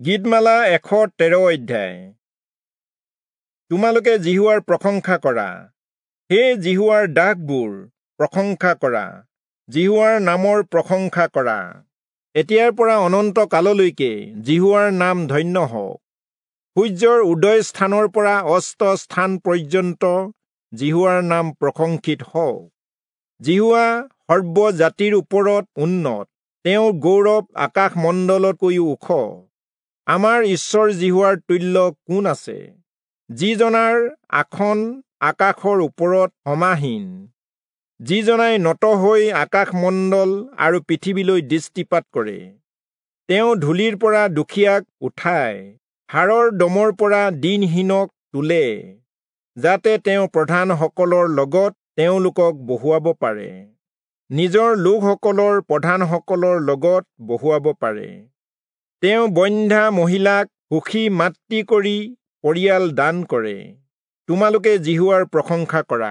গীতমালা 113 অধ্যায়। তোমালোকে যিহোৱাৰ প্ৰশংসা কৰা, হে যিহোৱাৰ দাসবোৰ প্ৰশংসা কৰা, যিহোৱাৰ নামৰ প্ৰশংসা কৰা। এতিয়াৰ পৰা অনন্ত কাললৈকে যিহোৱাৰ নাম ধন্য হওক। সূৰ্যৰ উদয় স্থানৰ পৰা অস্ত স্থান পৰ্যন্ত যিহোৱাৰ নাম প্ৰশংসিত হওক। যিহোৱা সৰ্বজাতিৰ ওপৰত উন্নত, তেওঁৰ গৌৰৱ আকাশমণ্ডলতকৈও ওখ। আমাৰ ঈশ্বৰ যিহোৱাৰ তুল্য কোন আছে, যিজনাৰ আসন আকাশৰ ওপৰত সমাহীন, যিজনাই নত হৈ আকাশমণ্ডল আৰু পৃথিৱীলৈ দৃষ্টিপাত কৰে। তেওঁ ধূলিৰ পৰা দুখীয়াক উঠায়, হাড়ৰ দমৰ পৰা দীনহীনক তোলে, যাতে তেওঁ প্ৰধানসকলৰ লগত তেওঁলোকক বহুৱাব পাৰে, নিজৰ লোকসকলৰ প্ৰধানসকলৰ লগত বহুৱাব পাৰে। তেওঁ বন্ধ্যা মহিলাক সুখী মাতৃ কৰি পৰিয়াল দান কৰে। তোমালোকে যিহোৱাৰ প্ৰশংসা কৰা।